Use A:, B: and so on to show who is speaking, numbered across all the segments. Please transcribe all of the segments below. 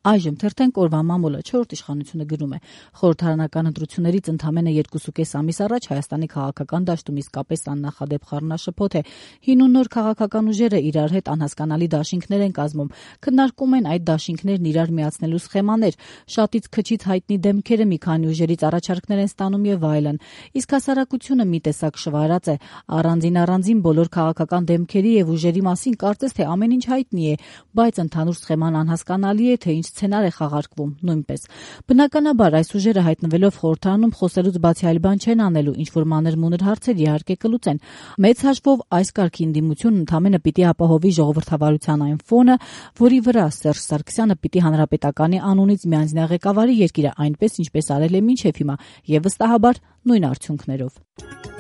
A: Այժմ թերթենք օրվա մամուլը 4-րդ իշխանությունը գրում է. խորհրդարանական ընտրություններից ընդամենը 2.5 ամիս առաջ Հայաստանի քաղաքական դաշտում իսկապես աննախադեպ խառնաշփոթ է։ Հին ու նոր քաղաքական ուժերը իրար հետ անհասկանալի դաշինքներ են կազմում, քննարկում են այդ դաշինքներն իրար միացնելու սխեմաներ, շատից քչից հայտնի դեմքերը մի քանի ուժերից առաջարկներ են ստանում եւ այլն։ Իսկ հասարակությունը մի տեսակ շվարած է, առանձին բոլոր քաղաքական դեմքերի եւ ուժերի մասին կարծես թե ամեն ինչ հայտնի է, բայց ընդհանուր սխեման անհասկանալի է, թե ինչ սցենար է խաղարկվում նույնպես։ Բնականաբար այս ուժերը հայտնվելով խորհրդարանում խոսելուց բացի այլ բան չեն անելու, ինչ որ մանր-մունր հարցեր իհարկե կլուծեն։ Մեծ հաշվով այս կարգի ընդդիմությունն ընդամենը պիտի ապահովի ժողովրդավարության այն ֆոնը, որի վրա Սերժ Սարգսյանը պիտի հանրապետականի անունից միանձնյա ղեկավարի երկիրը այնպես, ինչպես արել է մինչև հիմա, եւ վստահաբար նույն արդյունքներով։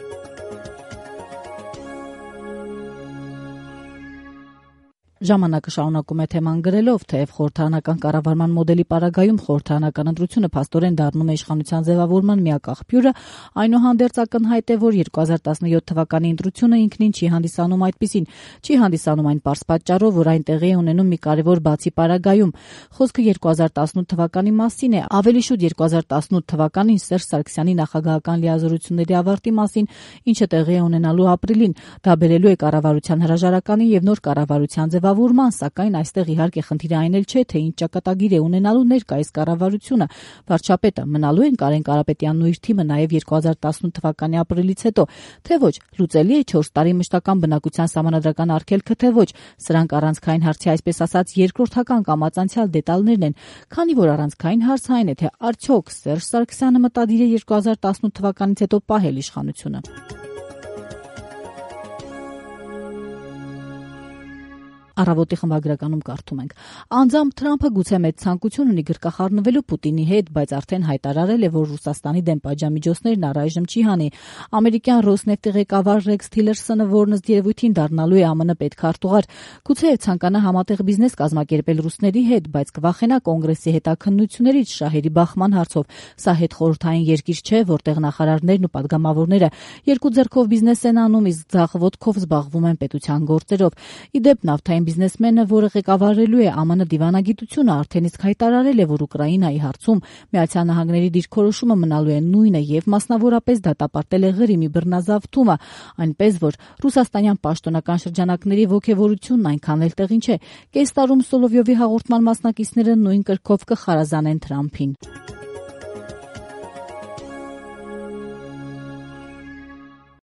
A: Ժամանակը շարունակում է թեման գրելով, թեև խորհրդարանական կառավարման մոդելի պարագայում խորհրդարանական ընտրությունը փաստորեն դառնում է իշխանության ձևավորման միակ աղբյուրը, այնուհանդերձ ակնհայտ է, որ 2017 թվականի ընտրությունը ինքնին չի հանդիսանում այդպիսին, չի հանդիսանում այն պարզ պատճառով, որ այն տեղի է ունենում մի կարևոր բացի պարագայում։ Խոսքը 2018 թվականի մասին է, ավելի շուտ 2018 թվականին Սերժ Սարգսյանի նախագահական լիազորությունների ավարտի մասին, ինչը տեղի է ունենալու ապրիլին։ Դա բերելու է կառավարության հրաժարականին եւ նոր կառավարության ձևավորման, սակայն այստեղ իհարկե խնդիրը այն էլ չէ, թե ինչ ճակատագիր է ունենալու ներկայիս կառավարությունը։ Վարչապետը մնալու են Կարեն Կարապետյանն ու իր թիմը նաև 2018 թվականի ապրիլից հետո, թե ոչ, լուծելի է 4 տարի մշտական բնակության սահմանադրական արգելքը, թե ոչ։ Սրանք առանցքային հարցի, այսպես ասած, երկրորդական կամ անցյալ դետալներն են, քանի որ առանցքային հարցը այն է, թե արդյոք Սերժ Սարգսյանը մտադիր է 2018 թվականից հետո պահել իշխանությունը։ Առավոտի խմբագրականում կարդում ենք. Անձամբ Թրամփը գուցե մեծ ցանկություն ունի գրկախառնվելու Պուտինի հետ, բայց արդեն հայտարարել է, որ Ռուսաստանի դեմ պատժամիջոցներն առայժմ չի հանի։ Ամերիկյան Ռոսնեֆտի ղեկավար Ռեքս Թիլերսոնը, որն ըստ երևույթին դառնալու է ԱՄՆ պետքարտուղար, գուցե ցանկանա համատեղ բիզնես կազմակերպել ռուսների հետ, բայց կվախենա կոնգրեսի հետաքննություններից շահերի բախման հարցով։ Սա հետխորհրդային երկիր չէ, որտեղ նախարարներն ու падգամավորները երկու ձեռքով բիզնես են անում, իսկ ձախ ոտքով զբաղվում են պետության գործերով։ Իդեպ նավթային բիզնեսմենը, որը ղեկավարելու է ԱՄՆ դիվանագիտությունը, արդեն իսկ հայտարարել է, որ Ուկրաինայի հարցում Միացյալ Նահանգների դիրքորոշումը մնալու է նույնը եւ մասնավորապես դատապարտել է Ղրիմի բռնազավթումը, այնպես որ ռուսաստանյան պաշտոնական շրջանակների ոգևորությունն այնքան էլ տեղին չէ։ Կես տարում Սոլովյովի հաղորդման մասնակիցները նույն կրքով կխարազանեն Թրամփին։